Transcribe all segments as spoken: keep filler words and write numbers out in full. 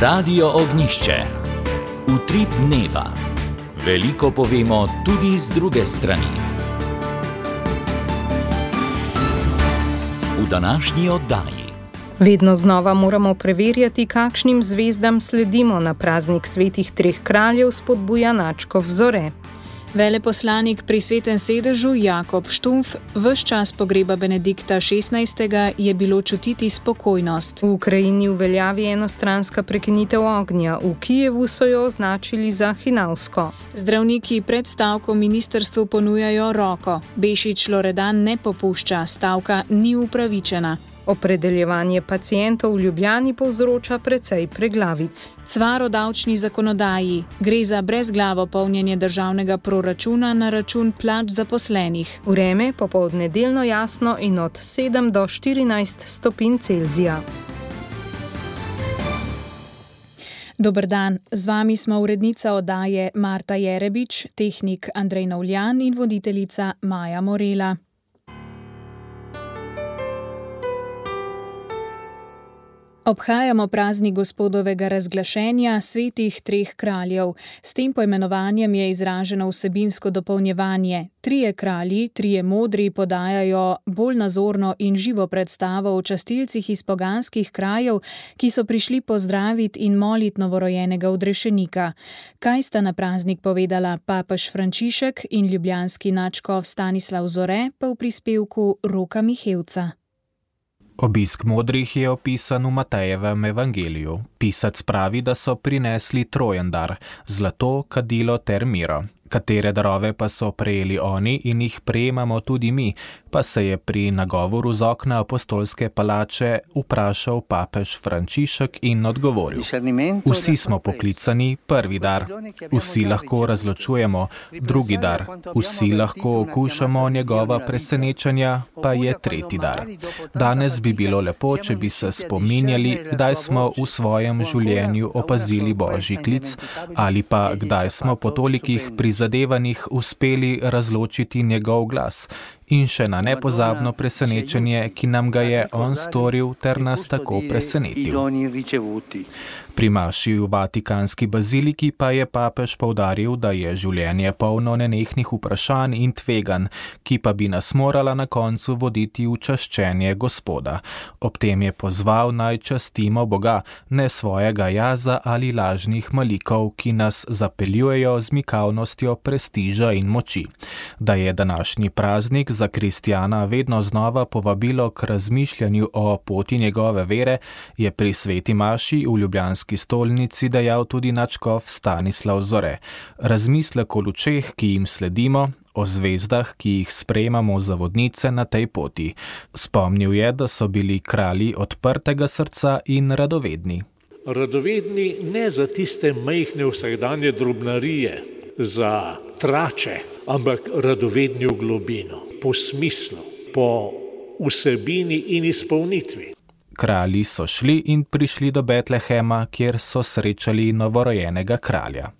Radio Ognjišče. Utrip dneva. Veliko povemo tudi z druge strani. V današnji oddaji. Vedno znova moramo preverjati, kakšnim zvezdam sledimo na praznik svetih treh kraljev, spodbuja Načkov Zore. Veleposlanik pri Svetem sedežu Jakob Štumpf, ves čas pogreba Benedikta šestnajstega je bilo čutiti spokojnost. V Ukrajini uveljavi enostranska prekinitev ognja, v Kijevu so jo označili za hinavsko. Zdravniki pred stavko ministrstvu ponujajo roko. Bešič Loredan ne popušča, stavka ni upravičena. Opredeljevanje pacientov v Ljubljani povzroča precej preglavic. Cvar o davčni zakonodaji. Gre za brezglavo polnjenje državnega proračuna na račun plač zaposlenih. Vreme popoldne delno jasno in od sedem do štirinajst stopinj Celzija. Dober dan, z vami smo urednica oddaje Marta Jerebič, tehnik Andrej Novljan in voditeljica Maja Morela. Obhajamo praznik Gospodovega razglašenja svetih treh kraljev. S tem poimenovanjem je izraženo vsebinsko dopolnjevanje. Trije kralji, trije modri podajajo bolj nazorno in živo predstavo o častilcih iz poganskih krajev, ki so prišli pozdraviti in moliti novorojenega odrešenika. Kaj sta na praznik povedala papež Frančišek in ljubljanski nadškof Stanislav Zore, pa v prispevku Roka Mihevca. Obisk modrih je opisan v Matejevem evangeliju. Pisac pravi, da so prinesli trojen dar, zlato, kadilo ter miro. Katere darove pa so prejeli oni in jih prejemamo tudi mi, pa se je pri nagovoru z okna apostolske palače vprašal papež Frančišek in odgovoril. Vsi smo poklicani, prvi dar. Vsi lahko razločujemo, drugi dar. Vsi lahko okušamo njegova presenečenja, pa je tretji dar. Danes bi bilo lepo, če bi se spominjali, kdaj smo v svojem življenju opazili božji klic, ali pa kdaj smo po tolikih prizadevanjih uspeli razločiti njegov glas. In še na nepozabno presenečenje, ki nam ga je on storil ter nas tako presenetil. Pri maši v Vatikanski baziliki pa je papež poudaril, da je življenje polno nenehnih vprašanj in tveganj, ki pa bi nas morala na koncu voditi v čaščenje Gospoda. Ob tem je pozval, naj častimo Boga, ne svojega jaza ali lažnih malikov, ki nas zapeljujejo z mikavnostjo prestiža in moči. Da je današnji praznik za kristjana vedno znova povabilo k razmišljanju o poti njegove vere, je pri sveti maši v ljubljanski stolnici dejal tudi nadškof Stanislav Zore. Razmislek o lučeh, ki jim sledimo, o zvezdah, ki jih sprejemamo za vodnice na tej poti. Spomnil je, da so bili kralji odprtega srca in radovedni. Radovedni ne za tiste majhne vsakdanje drobnarije, za trače, ampak radovedni v globino, po smislu, po vsebini in izpolnitvi. Kralji so šli in prišli do Betlehema, kjer so srečali novorojenega kralja.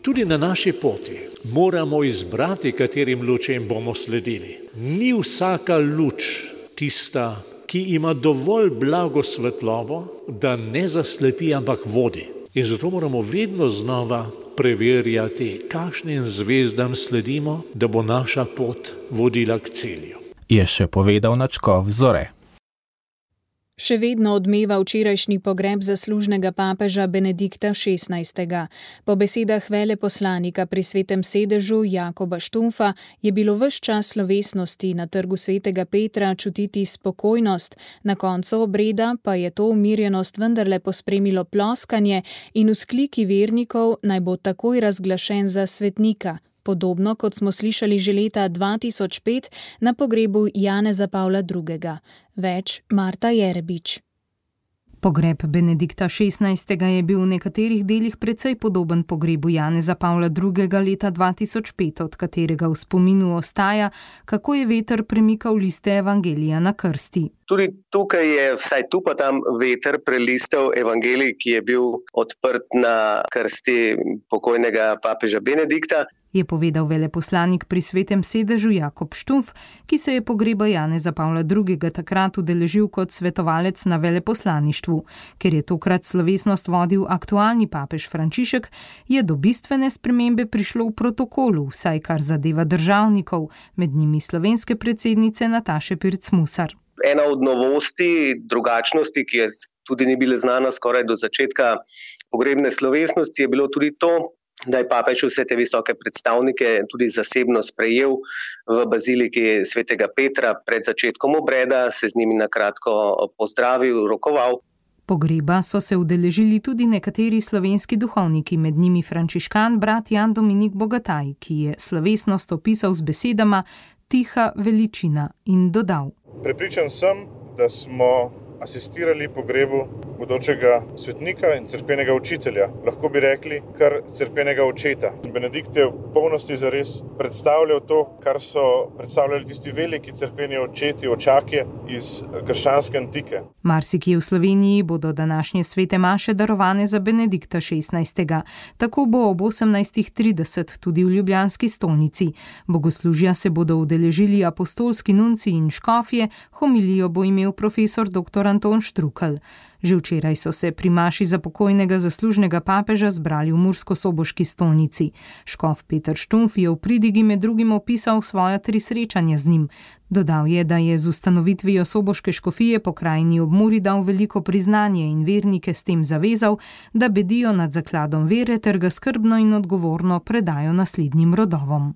Tudi na naši poti moramo izbrati, katerim lučem bomo sledili. Ni vsaka luč tista, ki ima dovolj blago svetlobo, da ne zaslepi, ampak vodi. In zato moramo vedno znova preverjati, kakšnim zvezdam sledimo, da bo naša pot vodila k cilju. Je še povedal nadškof Zore. Še vedno odmeva včerajšnji pogreb zaslužnega papeža Benedikta šestnajstega. Po besedah veleposlanika pri Svetem sedežu Jakoba Štumpfa je bilo ves čas slovesnosti na trgu Svetega Petra čutiti spokojnost, na koncu obreda pa je to umirjenost vendarle pospremilo ploskanje in vzkliki vernikov, naj bo takoj razglašen za svetnika. Podobno kot smo slišali že leta dva tisoč pet na pogrebu Janeza Pavla drugega. Več Marta Jerebič. Pogreb Benedikta šestnajstega je bil v nekaterih delih precej podoben pogrebu Janeza Pavla drugega leta dva tisoč pet, od katerega v spominu ostaja, kako je veter premikal liste evangelija na krsti. Tudi tukaj je vsaj tu pa tam veter prelistal evangelij, ki je bil odprt na krsti pokojnega papeža Benedikta. je povedal veleposlanik pri Svetem sedežu Jakob Štumf, ki se je pogreba Janeza Pavla drugega. takrat udeležil kot svetovalec na veleposlaništvu. Ker je tokrat slovesnost vodil aktualni papež Frančišek, je do bistvene spremembe prišlo v protokolu, vsaj kar zadeva državnikov, med njimi slovenske predsednice Nataše Pirc-Musar. Ena od novosti, drugačnosti, ki je tudi ni bila znana skoraj do začetka pogrebne slovesnosti, je bilo tudi to, da je papež vse te visoke predstavnike tudi zasebno sprejel v baziliki svetega Petra pred začetkom obreda, se z njimi na kratko pozdravil, rokoval. Pogreba so se udeležili tudi nekateri slovenski duhovniki, med njimi frančiškan brat Jan Dominik Bogataj, ki je slovesnost opisal z besedama tiha veličina in dodal. Prepričan sem, da smo asistirali pogrebu bodočega svetnika in cerkvenega učitelja, lahko bi rekli kar cerkvenega očeta. Benedikt je v polnosti zares predstavljal to, kar so predstavljali tisti veliki cerkveni očeti, očakje iz krščanske antike. Marsikje v Sloveniji bodo današnje svete maše darovane za Benedikta šestnajstega. Tako bo ob osemnajstih trideset tudi v ljubljanski stolnici. Bogoslužja se bodo udeležili apostolski nunci in škofje, homilijo bo imel profesor dr. Anton Štrukelj. Že včeraj so se pri maši za pokojnega zaslužnega papeža zbrali v murskosoboški stolnici. Škof Peter Štumf je v pridigi med drugim opisal svoja tri srečanja z njim. Dodal je, da je z ustanovitvijo soboške škofije po krajini ob Muri dal veliko priznanje in vernike s tem zavezal, da bedijo nad zakladom vere ter ga skrbno in odgovorno predajo naslednjim rodovom.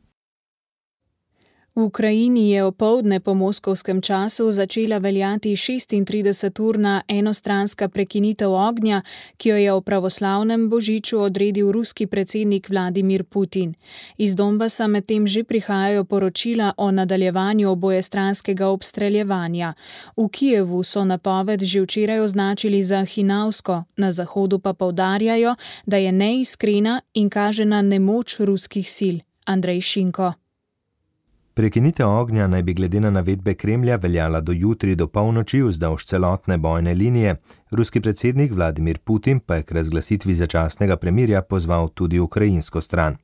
V Ukrajini je opoldne po moskovskem času začela veljati šestintrideseturna enostranska prekinitev ognja, ki jo je v pravoslavnem božiču odredil ruski predsednik Vladimir Putin. Iz Donbasa medtem že prihajajo poročila o nadaljevanju obojestranskega obstreljevanja. V Kijevu so napoved že včeraj označili za hinavsko, na zahodu pa poudarjajo, da je neiskrena in kaže na nemoč ruskih sil. Andrej Šinko. Prekinitev ognja naj bi glede na navedbe Kremlja veljala do jutri do polnoči vzdolž celotne bojne linije. Ruski predsednik Vladimir Putin pa je k razglasitvi začasnega premirja pozval tudi ukrajinsko stran.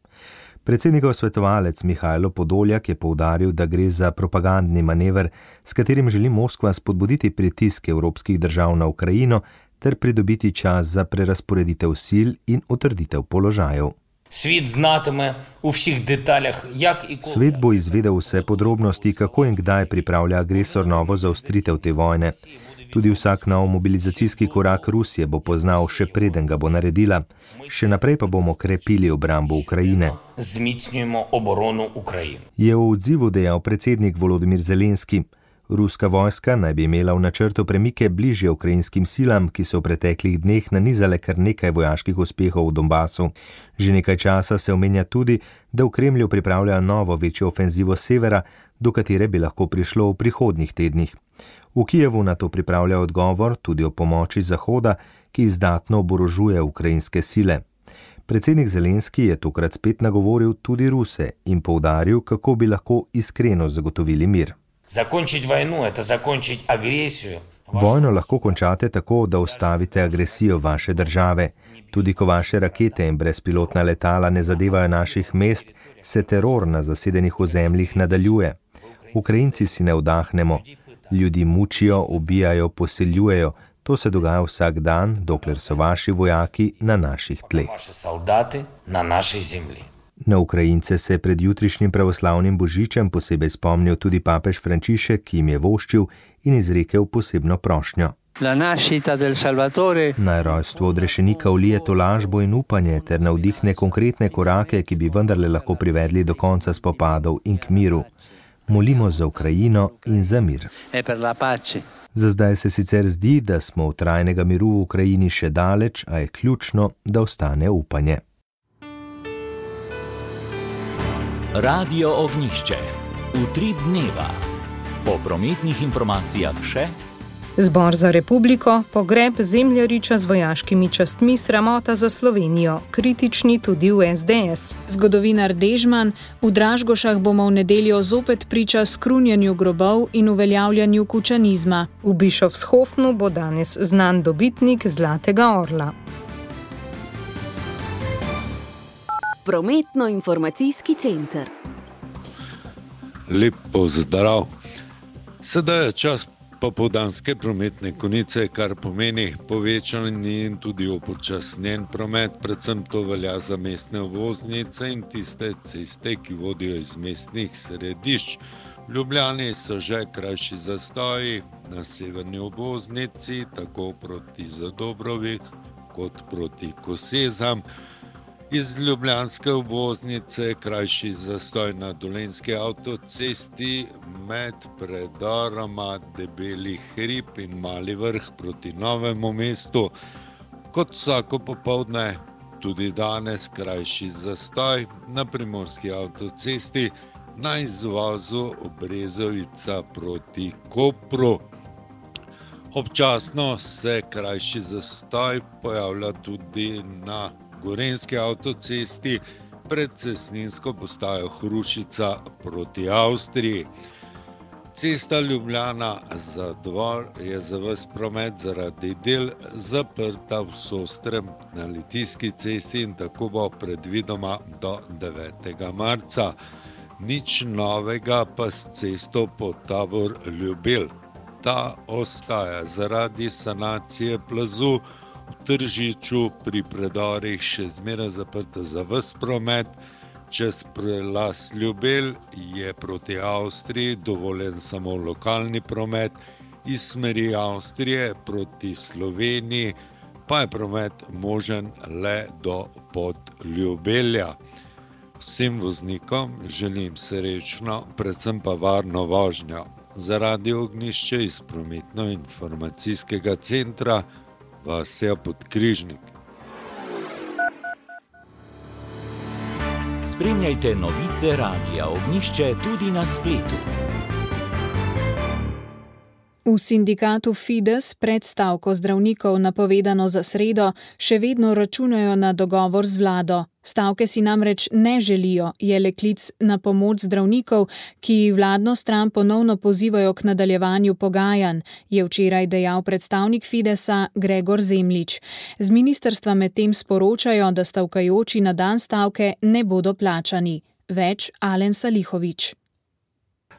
Predsednikov svetovalec Mihajlo Podoljak je poudaril, da gre za propagandni manever, s katerim želi Moskva spodbuditi pritisk evropskih držav na Ukrajino ter pridobiti čas za prerazporeditev sil in utrditev položajev. Svet znatime v vseh detaljah, jak in kako. Svet bo izvedel vse podrobnosti, kako in kdaj pripravlja agresor novo zaostritev te vojne. Tudi vsak nov mobilizacijski korak Rusije bo poznal, še preden ga bo naredila. Še naprej pa bomo krepili obrambo Ukrajine. Zmicnjujemo oborono Ukrajine. Je v odzivu dejal predsednik Volodimir Zelenski. Ruska vojska naj bi imela v načrtu premike bližje ukrajinskim silam, ki so v preteklih dneh nanizale kar nekaj vojaških uspehov v Donbasu. Že nekaj časa se omenja tudi, da v Kremlju pripravljajo novo večjo ofenzivo severa, do katere bi lahko prišlo v prihodnjih tednih. V Kijevu na to pripravlja odgovor tudi o pomoči Zahoda, ki izdatno oborožuje ukrajinske sile. Predsednik Zelenski je tokrat spet nagovoril tudi Ruse in poudaril, kako bi lahko iskreno zagotovili mir. Zakončiti vojno, to zakončiti agresijo. Vojno lahko končate tako, da ustavite agresijo vaše države. Tudi ko vaše rakete in brezpilotna letala ne zadevajo naših mest, se teror na zasedenih ozemljih nadaljuje. Ukrajinci si ne vdahnemo. Ljudi mučijo, ubijajo, poseljujejo. To se dogaja vsak dan, dokler so vaši vojaki na naših tleh. Vaši soldati na naši zemlji. Na Ukrajince se je pred jutrišnjim pravoslavnim božičem posebej spomnil tudi papež Frančišek, ki jim je voščil in izrekel posebno prošnjo. Naj rojstvo odrešenika vlije tolažbo in upanje ter navdihne konkretne korake, ki bi vendarle lahko privedli do konca spopadov in k miru. Molimo za Ukrajino in za mir. Za zdaj se sicer zdi, da smo v trajnega miru v Ukrajini še daleč, a je ključno, da ostane upanje. Radio Ognjišče. Utrip dneva. Po prometnih informacijah še. Zbor za republiko, pogreb zemljariča z vojaškimi častmi, sramota za Slovenijo, kritični tudi v es de es. Zgodovinar Dežman, v Dražgošah bomo v nedeljo zopet priča skrunjanju grobov in uveljavljanju kučanizma. V Bischofshofnu bo danes znan dobitnik Zlatega orla. Prometno-informacijski center. Lep pozdrav. Sedaj je čas popoldanske prometne konice, kar pomeni povečan in tudi upočasnjen promet, predvsem to velja za mestne obvoznice in tiste ceste, ki vodijo iz mestnih središč. V Ljubljani so že krajši zastoji na severni obvoznici, tako proti Zadobrovi kot proti Kosezam. Iz ljubljanske obvoznice krajši zastoj na Dolenjski avtocesti med predoroma Debeli hrib in Mali vrh proti Novemu mestu. Kot vsako popoldne, tudi danes krajši zastoj na Primorski avtocesti na izvozu Brezovica proti Kopru. Občasno se krajši zastoj pojavlja tudi na Gorenjski avtocesti pred cestninsko postajo Hrušica proti Avstriji. Cesta Ljubljana-Zadvor je za ves promet zaradi del zaprta v Sostrem na Litijski cesti in tako bo predvidoma do devetega marca. Nič novega pa s cesto Podtabor-Ljubelj. Ta ostaja zaradi sanacije plazu v Tržiču pri predorih še zmeraj zaprta za ves promet. Čez prelaz Ljubelj je proti Avstriji dovoljen samo lokalni promet, iz smeri Avstrije proti Sloveniji pa je promet možen le do Podljubelja. Vsem voznikom želim srečno, predvsem pa varno vožnjo. Zaradi ognjišča iz prometno-informacijskega centra Vasja Podkrižnik. Spremljajte novice Radia Ognjišče tudi na spletu. V sindikatu Fides pred stavko zdravnikov, napovedano za sredo, še vedno računajo na dogovor z vlado. Stavke si namreč ne želijo, je le klic na pomoč zdravnikov, ki vladno stran ponovno pozivajo k nadaljevanju pogajanj, je včeraj dejal predstavnik Fidesa Gregor Zemljič. Z ministrstva medtem sporočajo, da stavkajoči na dan stavke ne bodo plačani. Več Alen Salihovič.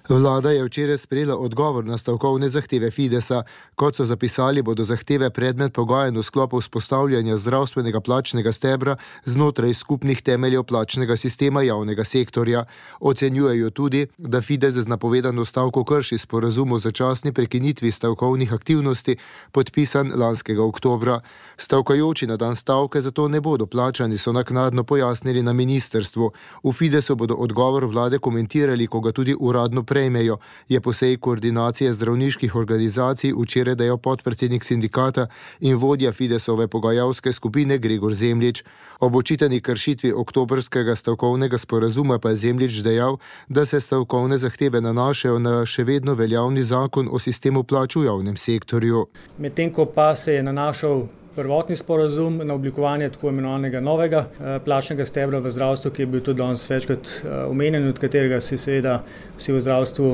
Vlada je včeraj sprejela odgovor na stavkovne zahteve Fidesa. Kot so zapisali, bodo zahteve predmet pogajanj v sklopu vzpostavljanja zdravstvenega plačnega stebra znotraj skupnih temeljev plačnega sistema javnega sektorja. Ocenjujejo tudi, da Fides z napovedano stavko krši sporazum o začasni prekinitvi stavkovnih aktivnosti, podpisan lanskega oktobra. Stavkajoči na dan stavke zato ne bodo plačani, so naknadno pojasnili na ministrstvu. V Fidesu bodo odgovor vlade komentirali, ko ga tudi uradno prejmejo, je po seji koordinacije zdravniških organizacij včeraj dejal podpredsednik sindikata in vodja Fidesove pogajalske skupine Gregor Zemljič. Ob očitani kršitvi oktobrskega stavkovnega sporazuma pa je Zemljič dejal, da se stavkovne zahteve nanašajo na še vedno veljavni zakon o sistemu plač v javnem sektorju. Medtem ko pa se je nanašal prvotni sporazum na oblikovanje tako imenovanega novega plačnega stebra v zdravstvu, ki je bil tudi danes večkrat omenjen, od katerega si seveda vsi v zdravstvu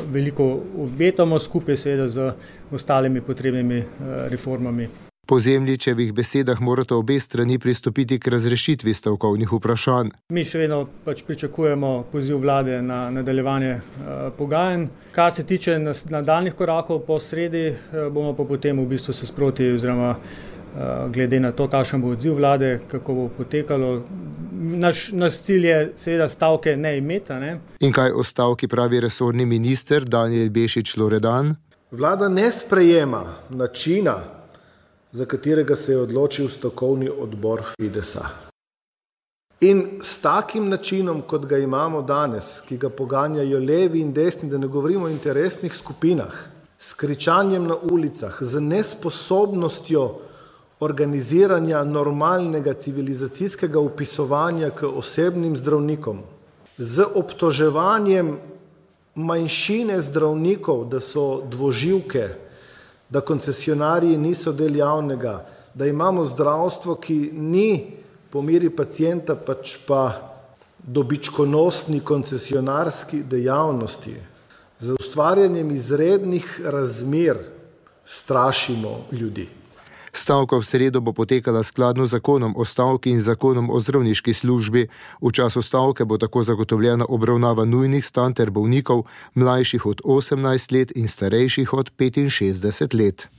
veliko obetamo, skupaj seveda z ostalimi potrebnimi reformami. Po Zemljičevih besedah morata obe strani pristopiti k razrešitvi stavkovnih vprašanj. Mi še vedno pač pričakujemo poziv vlade na nadaljevanje uh, pogajanj. Kar se tiče nadaljnjih korakov po sredi, uh, bomo pa potem v bistvu se sproti oziroma uh, glede na to, kakšen bo odziv vlade, kako bo potekalo. Naš, naš cilj je seveda stavke ne imeti. Ne? In kaj o stavki pravi resorni minister Danijel Bešič Loredan? Vlada ne sprejema načina, za katerega se je odločil stavkovni odbor Fidesa. In s takim načinom, kot ga imamo danes, ki ga poganjajo levi in desni, da ne govorimo o interesnih skupinah, s kričanjem na ulicah, z nesposobnostjo organiziranja normalnega civilizacijskega upisovanja k osebnim zdravnikom, z obtoževanjem manjšine zdravnikov, da so dvoživke, da koncesionarji niso del javnega, da imamo zdravstvo, ki ni po meri pacienta, pač pa dobičkonosni koncesionarski dejavnosti. Z ustvarjanjem izrednih razmer strašimo ljudi. Stavka v sredo bo potekala skladno z zakonom o stavki in zakonom o zdravniški službi. V času stavke bo tako zagotovljena obravnava nujnih stanj ter bolnikov, mlajših od osemnajst let in starejših od petinšestdeset let.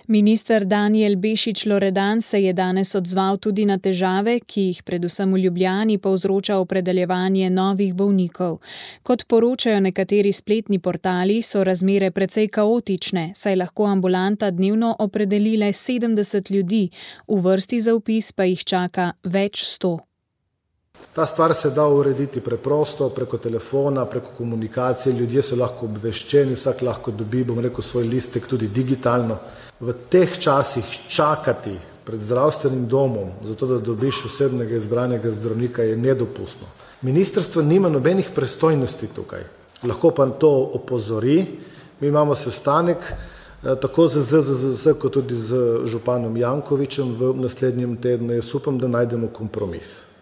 Minister Danijel Bešič Loredan se je danes odzval tudi na težave, ki jih predvsem v Ljubljani povzroča opredeljevanje novih bolnikov. Kot poročajo nekateri spletni portali, so razmere precej kaotične, saj lahko ambulanta dnevno opredeli le sedemdeset ljudi, v vrsti za vpis pa jih čaka več sto. Ta stvar se da urediti preprosto, preko telefona, preko komunikacije, ljudje so lahko obveščeni, vsak lahko dobi, bom rekel, svoj listek tudi digitalno. V teh časih čakati pred zdravstvenim domom, zato da dobiš osebnega izbranega zdravnika, je nedopustno. Ministrstvo nima nobenih pristojnosti tukaj, lahko pa to opozori. Mi imamo sestanek tako z Z Z Z S kot tudi z županom Jankovičem v naslednjem tednu. Jaz upam, da najdemo kompromis.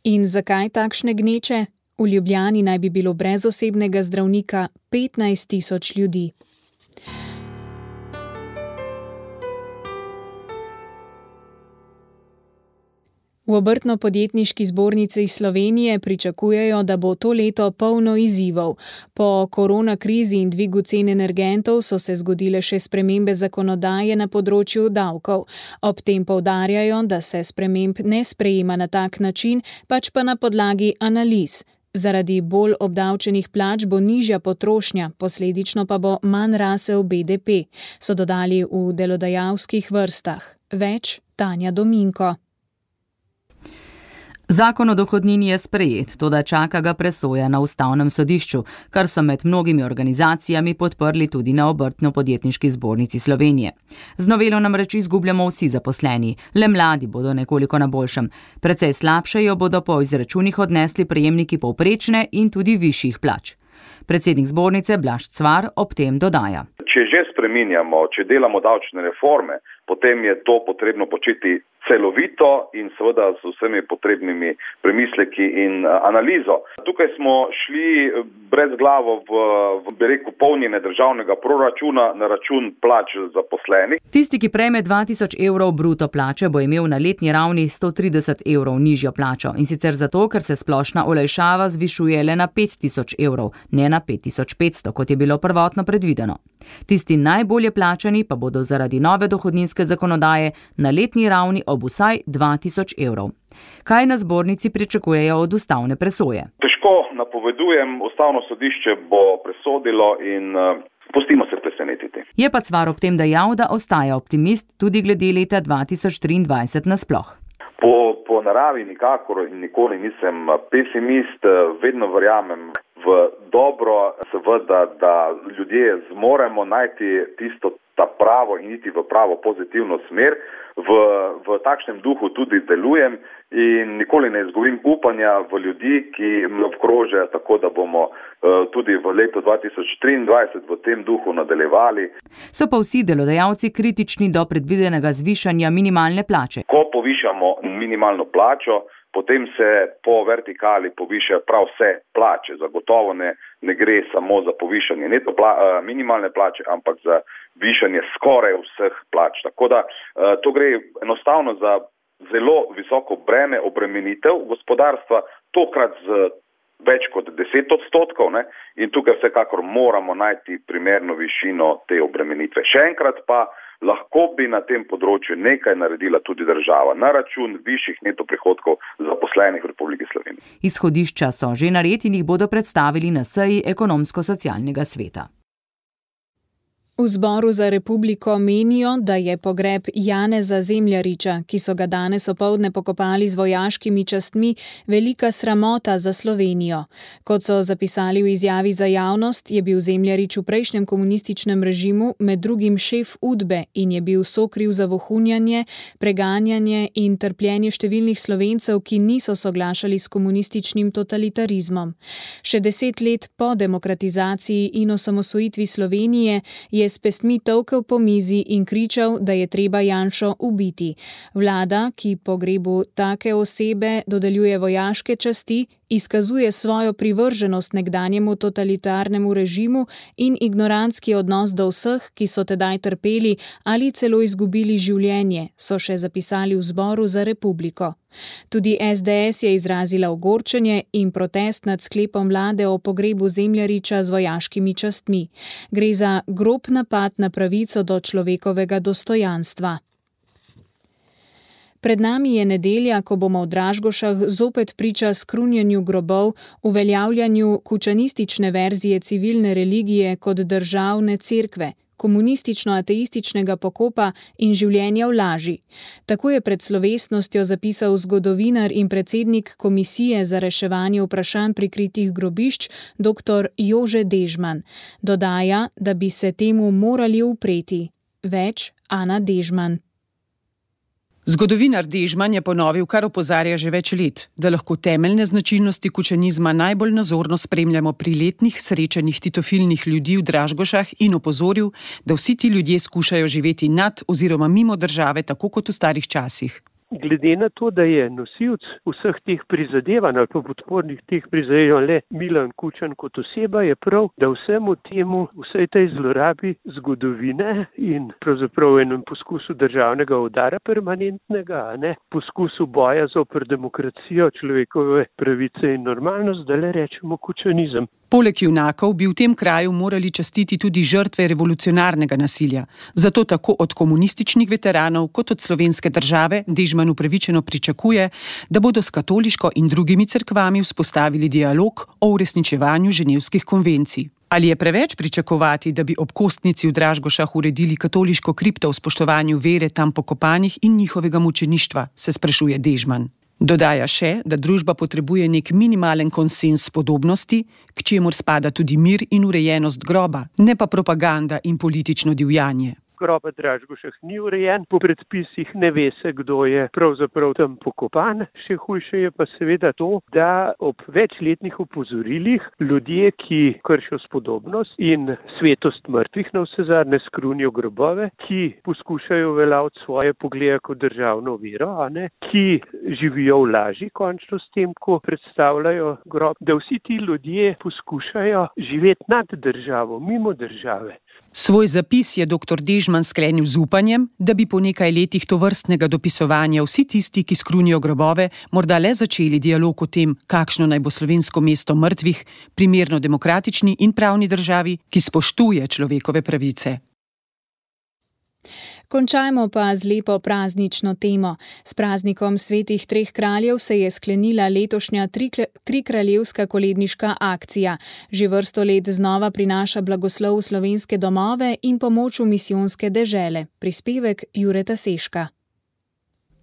In zakaj takšne gneče? V Ljubljani naj bi bilo brez osebnega zdravnika petnajst tisoč ljudi. V Obrtno-podjetniški zbornici Slovenije pričakujejo, da bo to leto polno izzivov. Po koronakrizi in dvigu cen energentov so se zgodile še spremembe zakonodaje na področju davkov. Ob tem poudarjajo, da se sprememb ne sprejema na tak način, pač pa na podlagi analiz. Zaradi bolj obdavčenih plač bo nižja potrošnja, posledično pa bo manj rasel B D P, so dodali v delodajalskih vrstah. Več Tanja Dominko. Zakon o dohodnini je sprejet, toda čaka ga presoja na ustavnem sodišču, kar so med mnogimi organizacijami podprli tudi na Obrtno-podjetniški zbornici Slovenije. Z novelo namreč izgubljamo vsi zaposleni, le mladi bodo nekoliko na boljšem. Precej slabše jo bodo po izračunih odnesli prejemniki povprečne in tudi višjih plač. Predsednik zbornice Blaž Cvar ob tem dodaja. Če že spreminjamo, če delamo davčne reforme, potem je to potrebno početi celovito in seveda z vsemi potrebnimi premisleki in analizo. Tukaj smo šli brez glavo v, v bi rekel, polnjenje državnega proračuna na račun plač zaposlenih. Tisti, ki prejme dva tisoč evrov bruto plače, bo imel na letni ravni sto trideset evrov nižjo plačo, in sicer zato, ker se splošna olajšava zvišuje le na pet tisoč evrov, ne na pet tisoč petsto, kot je bilo prvotno predvideno. Tisti najbolje plačani pa bodo zaradi nove dohodninske zakonodaje na letni ravni ob vsaj dva tisoč evrov. Kaj na zbornici pričakujejo od ustavne presoje? Težko napovedujem, ustavno sodišče bo presodilo in uh, pustimo se presenetiti. Je pa Cvar ob tem dejal, da ostaja optimist tudi glede leta dva tisoč triindvajset nasploh. Po, po naravi nikakor in nikoli nisem pesimist, vedno verjamem v dobro, seveda, da ljudje zmoremo najti tisto ta pravo in iti v pravo pozitivno smer. V, v takšnem duhu tudi delujem in nikoli ne izgubim upanja v ljudi, ki me obkrožajo, tako da bomo uh, tudi v letu dva tisoč triindvajset v tem duhu nadaljevali. So pa vsi delodajalci kritični do predvidenega zvišanja minimalne plače. Ko povišamo minimalno plačo, potem se po vertikali povišajo prav vse plače. Zagotovo ne, ne gre samo za povišanje neto pla, uh, minimalne plače, ampak za višanje skoraj vseh plač. Tako da uh, to gre enostavno za zelo visoko breme obremenitev gospodarstva, tokrat z več kot deset odstotkov, ne? In tukaj vsekakor moramo najti primerno višino te obremenitve. Še enkrat pa, lahko bi na tem področju nekaj naredila tudi država na račun višjih neto prihodkov zaposlenih v Republiki Sloveniji. Izhodišča so že nared in jih bodo predstavili na seji Ekonomsko-socialnega sveta. V Zboru za republiko menijo, da je pogreb Janeza Zemljariča, ki so ga danes opoldne pokopali z vojaškimi častmi, velika sramota za Slovenijo. Kot so zapisali v izjavi za javnost, je bil Zemljarič v prejšnjem komunističnem režimu med drugim šef Udbe in je bil sokriv za vohunjanje, preganjanje in trpljenje številnih Slovencev, ki niso soglašali s komunističnim totalitarizmom. Še deset let po demokratizaciji in osamosvojitvi Slovenije je s pestmi tolkel po mizi in kričal, da je treba Janšo ubiti. Vlada, ki pogrebu take osebe dodeljuje vojaške časti, izkazuje svojo privrženost nekdanjemu totalitarnemu režimu in ignorantski odnos do vseh, ki so tedaj trpeli ali celo izgubili življenje, so še zapisali v Zboru za republiko. Tudi es de es je izrazila ogorčenje in protest nad sklepom vlade o pogrebu Zemljariča z vojaškimi častmi. Gre za grob napad na pravico do človekovega dostojanstva. Pred nami je nedelja, ko bomo v Dražgošah zopet priča skrunjenju grobov, uveljavljanju kučanistične verzije civilne religije kot državne cerkve, komunistično-ateističnega pokopa in življenja v laži. Tako je pred slovesnostjo zapisal zgodovinar in predsednik Komisije za reševanje vprašanj prikritih grobišč doktor Jože Dežman. Dodaja, da bi se temu morali upreti. Več Ana Dežman. Zgodovinar Dežman je ponovil, kar opozarja že več let, da lahko temeljne značilnosti kučanizma najbolj nazorno spremljamo pri letnih srečanjih titofilnih ljudi v Dražgošah in opozoril, da vsi ti ljudje skušajo živeti nad oziroma mimo države, tako kot v starih časih. Glede na to, da je nosilc vseh teh prizadevanj ali pa podpornih teh prizadevanj le Milan Kučan kot oseba, je prav, da vsemu temu, vsej tej zlorabi zgodovine in pravzaprav enem poskusu državnega udara permanentnega, a ne, poskusu boja zoper demokracijo, človekove pravice in normalnost, da le rečemo kučanizem. Poleg junakov bi v tem kraju morali častiti tudi žrtve revolucionarnega nasilja. Zato tako od komunističnih veteranov kot od slovenske države Dežman upravičeno pričakuje, da bodo s katoliško in drugimi cerkvami vzpostavili dialog o uresničevanju ženevskih konvencij. Ali je preveč pričakovati, da bi ob kostnici v Dražgošah uredili katoliško kripto v spoštovanju vere tam pokopanih in njihovega mučeništva, se sprašuje Dežman. Dodaja še, da družba potrebuje nek minimalen konsens spodobnosti, k čemur spada tudi mir in urejenost groba, ne pa propaganda in politično divjanje. Grob v Dražgošah ni urejen, po predpisih ne ve se, kdo je pravzaprav tam pokopan. Še hujše je pa seveda to, da ob večletnih opozorilih ljudje, ki kršijo spodobnost in svetost mrtvih na vse zadnje skrunijo grobove, ki poskušajo uveljaviti svoje poglede kot državno vero, a ne, ki živijo v laži končno s tem, ko predstavljajo grob, da vsi ti ljudje poskušajo živeti nad državo, mimo države. Svoj zapis je doktor Dežman sklenil z upanjem, da bi po nekaj letih tovrstnega dopisovanja vsi tisti, ki skrunijo grobove, morda le začeli dialog o tem, kakšno naj bo slovensko mesto mrtvih, primerno demokratični in pravni državi, ki spoštuje človekove pravice. Končajmo pa z lepo praznično temo. S praznikom svetih treh kraljev se je sklenila letošnja trikraljevska koledniška akcija. Že vrsto let znova prinaša blagoslov v slovenske domove in pomoč v misijonske dežele. Prispevek Jureta Seška.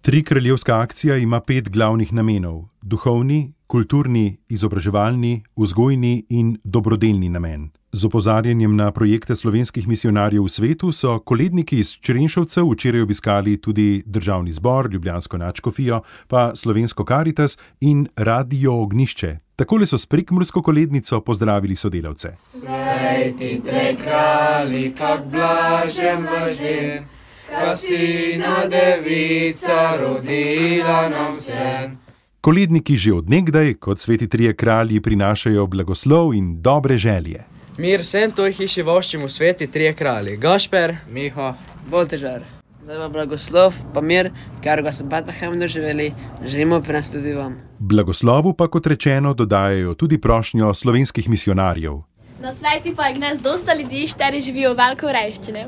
Trikraljevska akcija ima pet glavnih namenov: duhovni, kulturni, izobraževalni, vzgojni in dobrodelni namen. Z opozarjanjem na projekte slovenskih misijonarjev v svetu so koledniki iz Črenšovcev včeraj obiskali tudi Državni zbor, Ljubljansko nadškofijo, pa Slovensko Karitas in Radio Ognjišče. Takole so s prekmursko kolednico pozdravili sodelavce. Sveti treh kralji, kak blažen vaš den, ka sina devica rodila nam sen. Koledniki že od nekdaj, kot sveti trije kralji, prinašajo blagoslov in dobre želje. Mir vsem toj hiši voščimo sveti trije kralji, Gašper, Miho, Boltežar. Zdaj pa blagoslov, pa mir, kar ga so Betlehem doživeli, želimo prenesti tudi vam. Blagoslovu pa, kot rečeno, dodajajo tudi prošnjo slovenskih misijonarjev. Na sveti pa je gnes dosta ljudi, šteri živijo veliko revščine.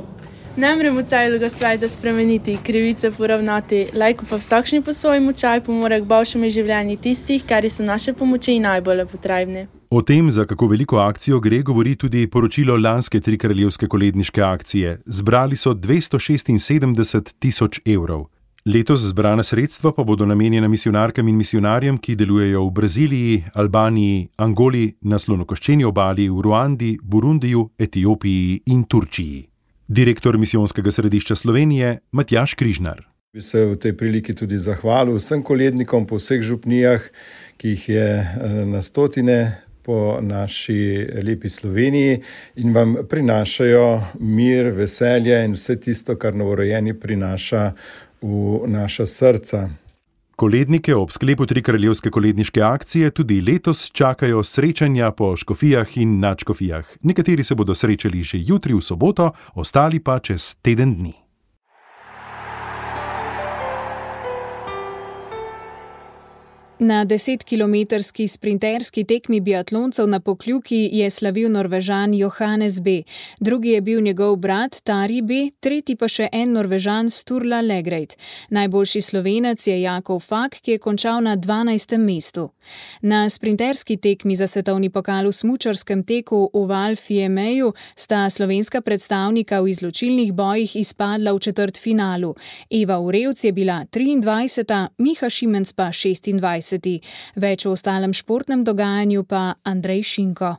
Ne moremo celega sveta spremeniti, krivice poravnati, lajko pa vsakšni po svojem močaju pomore k boljšemu življenju tistih, kar so naše pomoči najbolj potrebni. O tem, za kako veliko akcijo gre, govori tudi poročilo lanske trikraljevske koledniške akcije. Zbrali so dvesto šestinsedemdeset tisoč evrov. Letos zbrana sredstva pa bodo namenjena misijonarkam in misijonarjem, ki delujejo v Braziliji, Albaniji, Angoli, na Slonokoščeni obali, v Ruandi, Burundiju, Etiopiji in Turčiji. Direktor misijonskega središča Slovenije Matjaž Križnar. Bi se v tej priliki tudi zahvalil vsem kolednikom po vseh župnijah, ki jih je na stotine po naši lepi Sloveniji in vam prinašajo mir, veselje in vse tisto, kar novorojeni prinaša v naša srca. Kolednike ob sklepu trikraljevske koledniške akcije tudi letos čakajo srečanja po škofijah in nadškofijah. Nekateri se bodo srečali že jutri v soboto, ostali pa čez teden dni. Na desetkilometrski sprinterski tekmi biatloncev na Pokljuki je slavil Norvežan Johannes B. Drugi je bil njegov brat Tari B., tretji pa še en Norvežan Sturla Legreit. Najboljši Slovenec je Jakov Fak, ki je končal na dvanajstem mestu. Na sprinterski tekmi za svetovni pokal v smučarskem teku v Val-Fiemmeju sta slovenska predstavnika v izločilnih bojih izpadla v četrtfinalu. Eva Urevc je bila triindvajseta, Miha Šimenc pa šestindvajseti. Več o ostalem športnem dogajanju pa Andrej Šinko.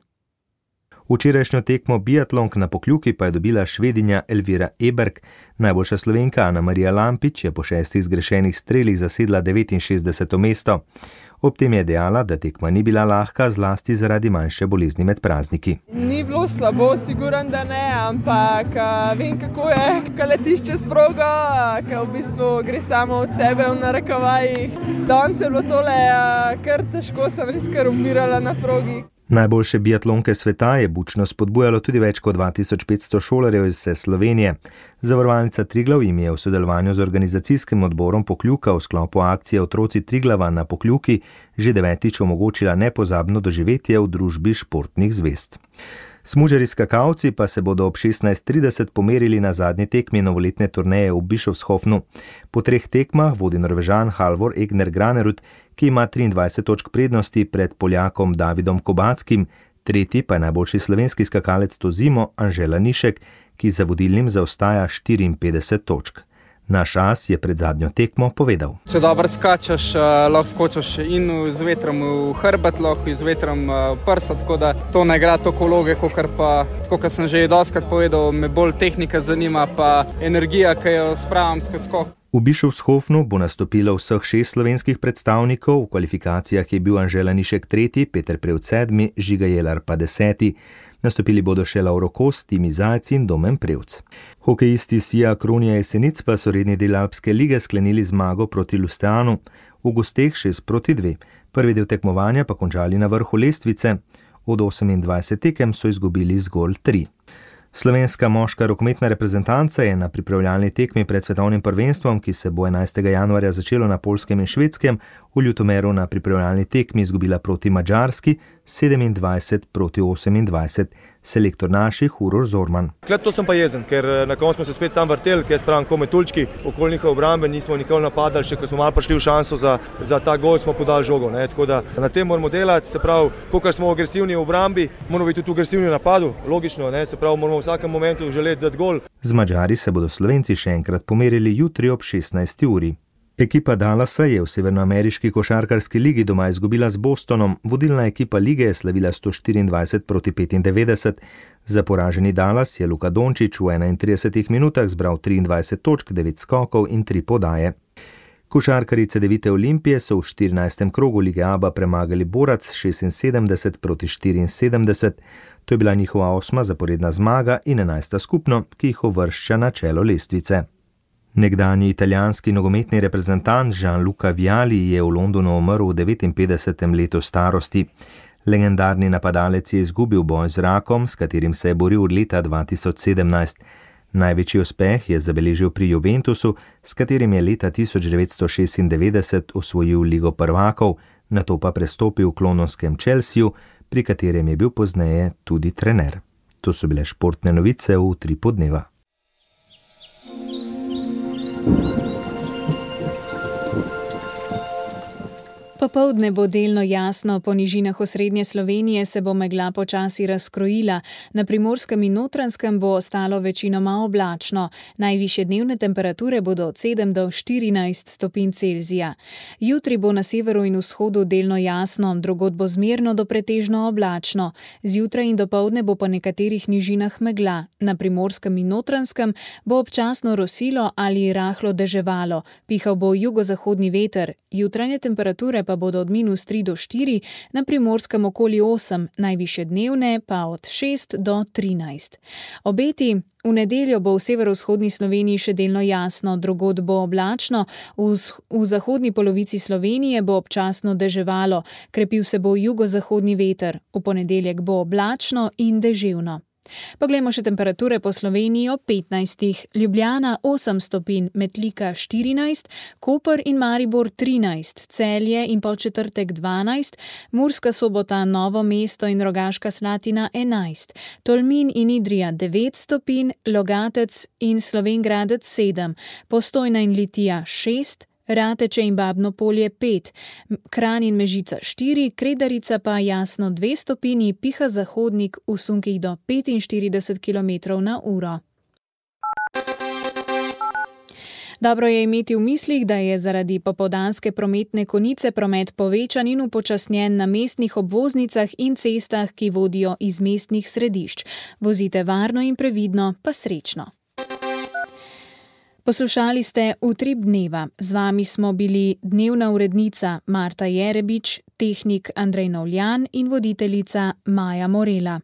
Včerajšnjo tekmo biatlonk na Pokljuki pa je dobila Švedinja Elvira Eberg, najboljša Slovenka Ana Marija Lampič je po šestih zgrešenih strelih zasedla devetinšestdeseto mesto. Ob tem je dejala, da tekma ni bila lahka, zlasti zaradi manjše bolezni med prazniki. Ni bilo slabo, siguran, da ne, ampak vem, kako je, ko letiš čez progo, ko v bistvu gre samo od sebe v narekovajih. Danes je bilo tole kar težko, sem res kar umirala na progi. Najboljše biatlonke sveta je bučno spodbujalo tudi več kot dva tisoč petsto šolarjev iz vse Slovenije. Zavarovalnica Triglav jim je v sodelovanju z organizacijskim odborom Pokljuka v sklopu akcije Otroci Triglava na Pokljuki že devetič omogočila nepozabno doživetje v družbi športnih zvezd. Smučarji skakalci pa se bodo ob šestnajst trideset pomerili na zadnji tekmi novoletne turneje v Bischofshofnu. Po treh tekmah vodi Norvežan Halvor Egner Granerud, ki ima triindvajset točk prednosti pred Poljakom Davidom Kobackim, tretji pa je najboljši slovenski skakalec to zimo Anžela Nišek, ki za vodilnim zaostaja štiriinpetdeset točk. Naš as je pred zadnjo tekmo povedal. Če dobro skačeš, lahko skočiš in z vetrom v hrbet, lahko z vetrom v prsa, tako da to ne igra toliko vloge, kot pa, tako kot sem že dostikrat povedal, me bolj tehnika zanima, pa energija, ki jo spravim skozi skok. V Bischofshofnu bo nastopilo vseh šest slovenskih predstavnikov, v kvalifikacijah je bil Anžela Nišek tretji, Peter Prevc sedmi, Žiga Jelar pa deseti. Nastopili bodo še Lauro Kos, Timi Zajec in Domen Prevc. Hokejisti Sija Kronija Jesenic pa so redni del Alpske lige sklenili zmago proti Lusteanu, v gosteh šest proti dve. Prvi del tekmovanja pa končali na vrhu lestvice, od osemindvajset tekem so izgubili zgolj tri. Slovenska moška rokometna reprezentanca je na pripravljalni tekmi pred svetovnim prvenstvom, ki se bo enajstega januarja začelo na Poljskem in Švedskem, v Ljutomeru na pripravljalni tekmi izgubila proti Madžarski sedemindvajset proti osemindvajset. Selektor naših Uroš Zorman. Klep to sem pa jezen, ker na koncu smo se spet sam vrteli, ker spravim kome tulčki, okoli njihove obrambe, nismo nikoli napadali, še ko smo malo prišli v šanso za, za ta gol, smo podali žogo. Ne? Tako da na tem moramo delati, se pravi, kolikor smo agresivni v obrambi, moramo biti tudi agresivni v napadu, logično, ne? Se pravi, moramo v vsakem momentu želeti dati gol. Z Madžari se bodo Slovenci še enkrat pomerili jutri ob šestnajsti uri. Ekipa Dallasa je v severnoameriški košarkarski ligi doma izgubila z Bostonom, vodilna ekipa lige je slavila sto štiriindvajset proti petindevetdeset. Za poraženi Dallas je Luka Dončić v enaintridesetih minutah zbral triindvajset točk, devet skokov in tri podaje. Košarkarice Devite Olimpije so v štirinajstem krogu lige Aba premagali Borac šestinsedemdeset proti štiriinsedemdeset. To je bila njihova osma zaporedna zmaga in enajsta skupno, ki jih uvršča na čelo lestvice. Nekdanji italijanski nogometni reprezentant Gianluca Vialli je v Londonu umrl v devetinpetdesetem letu starosti. Legendarni napadalec je izgubil boj z rakom, s katerim se je boril od leta dva tisoč sedemnajst. Največji uspeh je zabeležil pri Juventusu, s katerim je leta tisoč devetsto šestindevetdeset osvojil Ligo prvakov, nato pa prestopil v londonskem Chelseaju, pri katerem je bil pozneje tudi trener. To so bile športne novice v Utripu dneva. Popoldne bo delno jasno, po nižinah osrednje Slovenije se bo megla počasi razkrojila, na Primorskem in Notranjskem bo ostalo večinoma oblačno. Najvišje dnevne temperature bodo od sedem do štirinajst stopinj Celzija. Jutri bo na severu in vzhodu delno jasno, drugod bo zmerno do pretežno oblačno. Zjutraj in dopoldne bo po nekaterih nižinah megla. Na Primorskem in Notranjskem bo občasno rosilo ali rahlo deževalo. Pihal bo jugozahodni veter. Jutranje temperature pa bodo od minus tri do štiri, na Primorskem okoli osem, najvišje dnevne pa od šest do trinajst. Obeti: v nedeljo bo v severovzhodni Sloveniji še delno jasno, drugod bo oblačno, v, v zahodni polovici Slovenije bo občasno deževalo, krepil se bo jugozahodni veter, v ponedeljek bo oblačno in deževno. Poglejmo še temperature po Sloveniji ob petnajstih. Ljubljana osem stopinj, Metlika štirinajst, Koper in Maribor trinajst, Celje in Podčetrtek dvanajst, Murska Sobota, Novo mesto in Rogaška Slatina enajst, Tolmin in Idrija devet stopinj, Logatec in Slovenj Gradec sedem, Postojna in Litija šest, Rateče in Babno Polje pet, Kranj in Mežica štiri, Kredarica pa jasno dve stopinji, piha zahodnik v sunkih do petinštirideset kilometrov na uro. Dobro je imeti v mislih, da je zaradi popoldanske prometne konice promet povečan in upočasnjen na mestnih obvoznicah in cestah, ki vodijo iz mestnih središč. Vozite varno in previdno, pa srečno. Poslušali ste Utrip dneva. Z vami smo bili dnevna urednica Marta Jerebič, tehnik Andrej Novljan in voditeljica Maja Morela.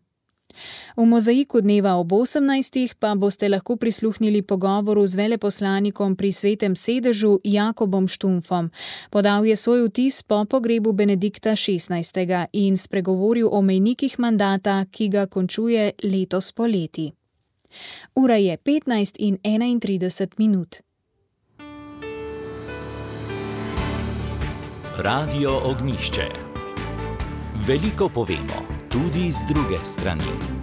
V mozaiku dneva ob osemnajstih pa boste lahko prisluhnili pogovoru z veleposlanikom pri Svetem sedežu Jakobom Štumfom. Podal je svoj vtis po pogrebu Benedikta šestnajstega in spregovoril o mejnikih mandata, ki ga končuje letos poleti. Ura je petnajst in enaintrideset minut. Radio Ognjišče. Veliko povemo, tudi z druge strani.